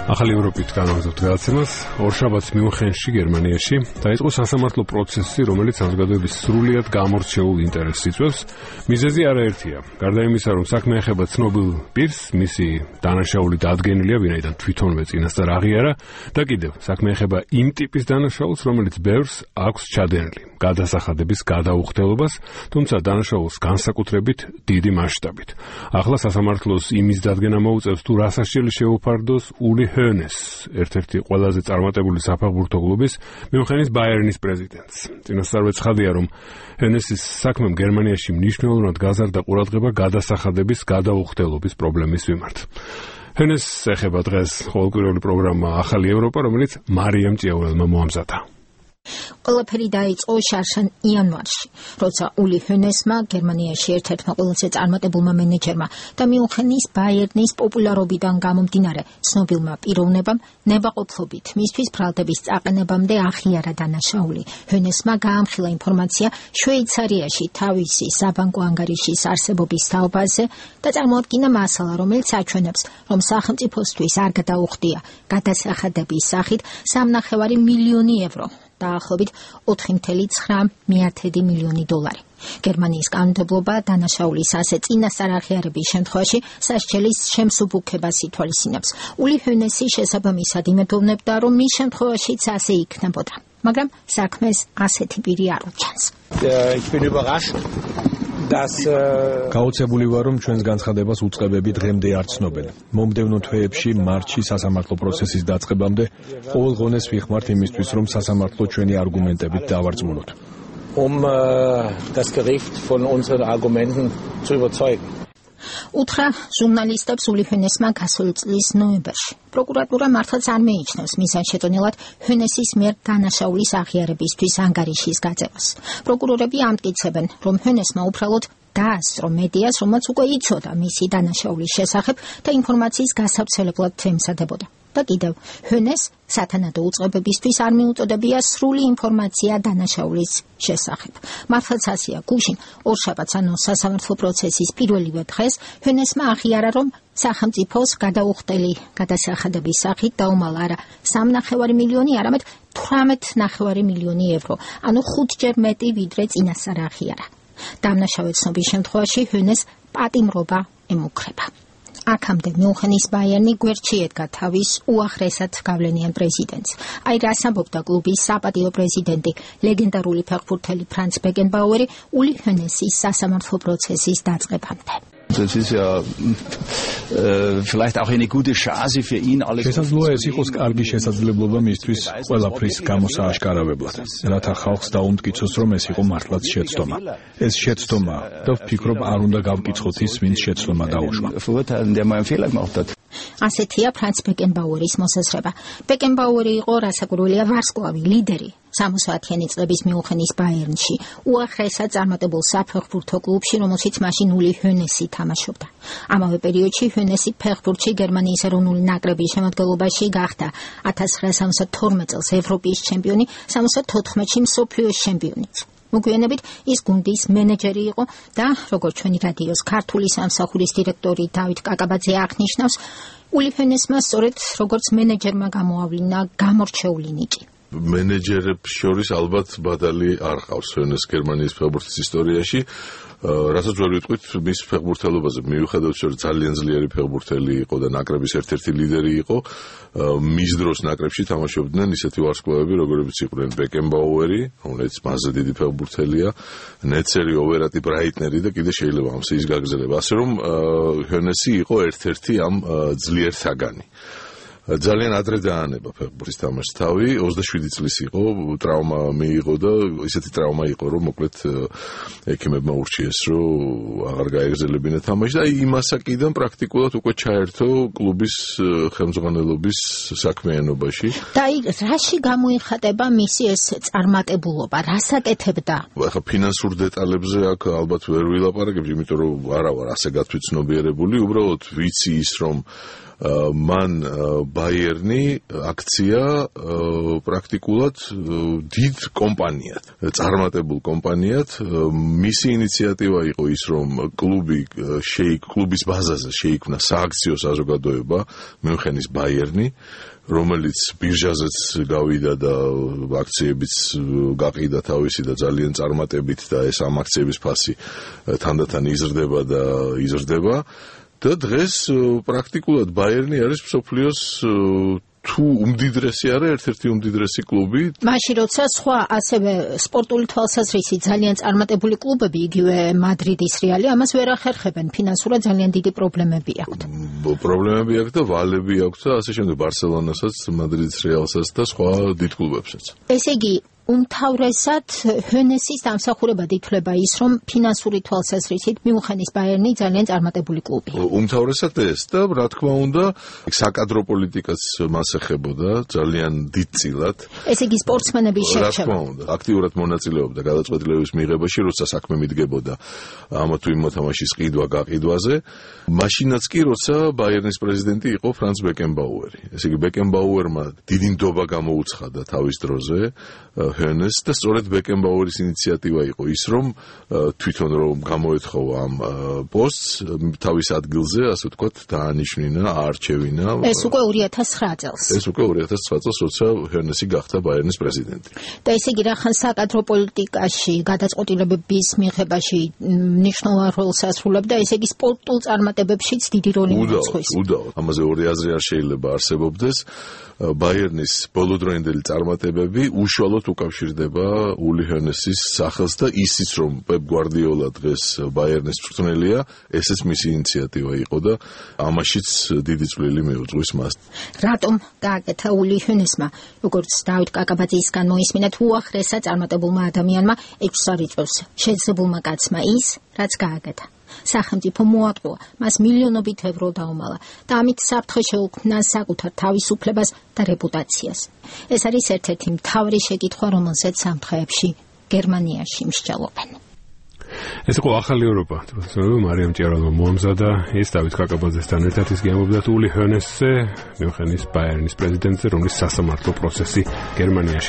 ახალი ევროპით განვაგრძობთ გადაცემას. ორშაბათს მიუნხენში, გერმანიაში დაიწყო სასამართლო პროცესი, რომელიც საზოგადოების სრულიად გამორჩეულ ინტერესს იწვევს. მიზეზი არაერთია. გარდა იმისა, რომ საქმე ეხება ცნობილ პირს, მისი დანაშაული დადგენილია, ვინაიდან თვითონვე წინასწარ აღიარა, და კიდევ საქმე ეხება იმ ტიპის დანაშაულს, რომელიც ბევრს აქვს ჩადენილი გადასახადების გადაუხდელობას, თუმცა დანაშაულს განსაკუთრებით დიდი მასშტაბით. ახლა სასამართლოს იმის დადგენა მოუწევს, თუ რა სასჯელი შეუფარდოს ული ჰონეს, ერთ-ერთი ყველაზე წარმატებული საფეხბურთო კლუბის მიუნხენის ბაიერნის პრეზიდენტს. წინასწარვე ცხადია, რომ ჰონესის საქმემ გერმანიაში მნიშვნელოვნად გაზარდა ყურადღება გადასახადების გადაუხდელობის პრობლემის მიმართ. ჰონეს ეხება დღეს ყოველკვირეული პროგრამა ახალი ევროპა, რომელიც მარიამ ჭიაურელმა მოამზადა. ყველაფერი დაიწყო შარშან იანვარში, როცა ული ჰონესმა, გერმანიაში ერთ-ერთმა ყველაზე წარმატებულმა მენეჯერმა და მიუნხენის ბაიერნის პოპულარობიდან გამომდინარე ცნობილმა პიროვნებამ ნებაყოფლობით მისთვის ბრალდების წაყენებამდე აღიარა დანაშაული. ჰონესმა გაამხილა ინფორმაცია შვეიცარიაში თავისი საბანკო ანგარიშის არსებობის თაობაზე და წარმოადგინა მასალა, რომელიც აჩვენებს, რომ სახელმწიფოსთვის არ გადაუხდია გადასახადების სახით 3,5 მილიონი ევრო. დაახლოებით 4,9 მილიონი დოლარი. გერმანიის კანონმდებლობა დანაშაულის ასე წინასწარ აღიარების შემთხვევაში სასჯელის შემსუბუქებას ითვალისწინებს. ული ჰონესი შესაბამისად იმედოვნებდა, რომ მის შემთხვევაშიც ასე იქნებოდა, მაგრამ საქმეს ასეთი პირი არ უჩანს. გაოცებული ვარ, რომ ჩვენს განცხადებას უწყებები დღემდე არ ცნობენ. მომდევნო თვეებში მარტში სასამართლო პროცესის დაწყებამდე ყოველ ღონეს ვიხმართ იმისთვის, რომ სასამართლო ჩვენი არგუმენტებით დავარწმუნოთ. Das Gericht von unseren Argumenten zu überzeugen. უთხრა ჟურნალისტებს ული ჰონესმა გასული წლის ნოემბერში. პროკურატურა მართლაც არ მეიჩნევს მიზანშეტონილად ჰონესის მიერ დანაშაულის აღიარებისთვის ანგარიშის გაწევას. პროკურორები ამტკიცებენ, რომ ჰონესმა უბრალოდ დაასწრო მედიას, რომელსაც უკვე იცოდა მისი დანაშაულის შესახებ და ინფორმაციის გასავრცელებლად ემზადებოდა. და კიდევ ჰონეს სათანადო უწყებებისთვის არ მიუწოდებია სრული ინფორმაცია დანაშაულის შესახებ. მართლაც ასეა, გუშინ ორშაბათს, ანუ სასამართლო პროცესის პირველივე დღეს, ჰონესმა აღიარა, რომ სახელმწიფოს გადაუხდელი გადასახადების სახით დაუმალა არა 3,5 მილიონი, არამედ 18,5 მილიონი ევრო, ანუ 5-ჯერ მეტი, ვიდრე წინასწარ აღიარა. დამნაშავე ცნობის შემთხვევაში ჰონეს პატიმრობა ემუქრება. აქამდე მიუნხენის ბაიერნი გვერდში ედგა თავის უახლესად გავლენიან პრეზიდენტს. აი რას ამბობდა კლუბის საპატიო პრეზიდენტი, ლეგენდარული ფეხბურთელი ფრანც ბეკენბაუერი ული ჰონესის სასამართლო პროცესის დაწყებამდე. Das ist ja vielleicht auch eine gute Chance für ihn alles. შესაძლოა ეს იყოს კარგი შესაძლებლობა მისთვის ყველაფრის გამოსააშკარავებლად, რათა ხალხს დაუმტკიცოს, რომ ეს იყო მართლაც შეცდომა. ეს შეცდომა და ვფიქრობ, არ უნდა გავკიცხოთ ის, ვინც შეცდომა დაუშვა. ასეთია ფრანც ბეკენბაუერის მოსაზრება. ბეკენბაუერი იყო რასაკვირველია ვარსკვლავი, ლიდერი 60-იანი წლების მიუნხენის ბაიერნში, უახლესად წარმატებულ საფეხბურთო კლუბში, რომელშიც მაშინ ული ჰონესი თამაშობდა. ამავე პერიოდში ჰონესი ფეხბურთში გერმანიის ეროვნული ნაკრების შემადგენლობაში გახდა 1972 წელს ევროპის ჩემპიონი, 74-ში მსოფლიოს ჩემპიონიც. მოგვიანებით ის გუნდის მენეჯერი იყო და როგორც ჩვენი რადიოს ქართული სამსახურის დირექტორი დავით კაკაბაძე აღნიშნავს, ული ჰონესმა სწორედ როგორც მენეჯერმა გამოავლინა გამორჩეული ნიჭი. მენეჯერებს შორის ალბათ ბადალი არ ყავს ჰონეს გერმანიის ფეხბურთის ისტორიაში. რასაც ვერ ვიტყვით მის ფეხბურთელობაზე, მიუხედავად რომ ძალიან ძლიერი ფეხბურთელი იყო და ნაკრების ერთ-ერთი ლიდერი იყო, მის დროს ნაკრებში თამაშობდნენ ისეთი ვარსკვლავები, როგორებიც იყვნენ ბეკენბაუერი, რომელიც მასზე დიდი ფეხბურთელია, ნეცერი, ოვერატი, ბრაიტნერი და კიდე შეიძლება ამ სიის გაგრძელება. ასე რომ ჰონესი იყო ერთ-ერთი ამ ძლიერ საგანი. ძალიან ადრე დაანება ფეხბურთის თამაშს თავი, 27 წლის იყო, ტრავმა მიიღო და ისეთი ტრავმა იყო, რომ მოკლედ ექიმებმა ურჩიეს, რომ აღარ გაეგრძელებინა თამაში და იმას აკიდან პრაქტიკულად უკვე ჩაერთო კლუბის ხელმძღვანელობის საქმიანობაში. და რაში გამოიხატება მისი ეს წარმატებულობა, რას აკეთებდა? ახლა ფინანსურ დეტალებზე აქ ალბათ ვერ ვილაპარაკებ, იმიტომ რომ არა ვარ ასე გათვითცნობიერებული, უბრალოდ ვიცი ის, რომ მან ბაიერნი აქცია პრაქტიკულად დიდ კომპანიად, წარმატებულ კომპანიად. მისი ინიციატივა იყო ის, რომ კლუბის ბაზაზე შეიქმნა სააქციო საზოგადოება მიუნხენის ბაიერნი, რომელიც ბირჟაზეც გავიდა და აქციებიც გაყიდა თავისი და ძალიან წარმატებით და ეს ამ აქციების ფასი თანდათან იზრდება და იზრდება. და დღეს პრაქტიკულად ბაიერნი არის მსოფლიოს თუ უმდიდრესი არა ერთ-ერთი უმდიდრესი კლუბი. მაშინ როცა სხვა ასევე სპორტული თვალსაზრისით ძალიან წარმატებული კლუბები, იგივე მადრიდის რეალი, ამას ვერ ახერხებენ, ფინანსურად ძალიან დიდი პრობლემები აქვთ. პრობლემები აქვს და ვალები აქვს და ასე შემდეგ ბარსელონასაც, მადრიდის რეალსაც და სხვა დიდ კლუბებსაც. ესე იგი უმთავრესად ჰონესის დამსახურებად ითვლება ის, რომ ფინანსური თვალსაზრისით მიუნხენის ბაიერნი ძალიან წარმატებული კლუბია. უმთავრესად ეს და რა თქმა უნდა, საკადრო პოლიტიკაც მას ეხებოდა ძალიან დიდწილად. ესე იგი სპორტსმენების რა შერჩევა. თქმა უნდა, აქტიურად მონაწილეობდა გადაწყვეტილების მიღებაში, როცა საქმე მიდგებოდა ამა თუ იმ მოთამაშის ყიდვა-გაყიდვაზე. მაშინაც კი, როცა ბაიერნის პრეზიდენტი იყო ფრანც ბეკენბაუერი. ესე იგი ბეკენბაუერმა დიდი ნდობა გამოუცხადა თავის დროზე ჰონეს და სწორედ ბეკენბაუერის ინიციატივა იყო ის, რომ თვითონ რომ გამოეთხოვა ამ პოსტს თავის ადგილზე, ასე ვთქვათ, დაანიშნინა, აარჩევინა. ეს უკვე 2009 წელს. ეს უკვე 2009 წელს, როცა ჰონესი გახდა ბაიერნის პრეზიდენტი. და ესე იგი რახან საკადრო პოლიტიკაში, გადაწყვეტილებების მიღებაში მნიშვნელოვან როლს ასრულებდა, ესე იგი სპორტულ წარმატებებშიც დიდი როლი მიუძღვის. უდავოდ. ამაზე ორი აზრი არ შეიძლება არსებობდეს. ბაიერნის ბოლოდროინდელი წარმატებები უშუალოდ უკავშირდება ული ჰონესის სახელს და ისიც რომ პეპ გვარდიოლა დღეს ბაიერნის მწვრთნელია, ესეც მისი ინიციატივა იყო და ამაშიც დიდი წვლილი მიუძღვის მას. რატომ გააკეთა ული ჰონესმა, როგორც დავით კაკაბაძისგან მოისმინეთ, უახლესა წარმატებულმა ადამიანმა 6 სარიწევს შეძლებულმა კაცმა ის, რაც გააკეთა. სახელმწიფო მოატყუა, მას მილიონობით ევრო დაუმალა და ამით საფრთხე შეუქმნა საკუთარ თავისუფლებას და რეპუტაციას. ეს არის ერთ-ერთი მთავარი შეკითხვა, რომელზეც ამ დღეებში გერმანიაში მსჯელობენ. ეს იყო ახალი ევროპა. მარიამ ჭიარალმა მოამზადა ის დავით კაკაბაძესთან ერთად ის გემობდა ული ჰონესზე, მიუნხენის ბაიერნის პრეზიდენტზე, რომლის სასამართლო პროცესი გერმანიაში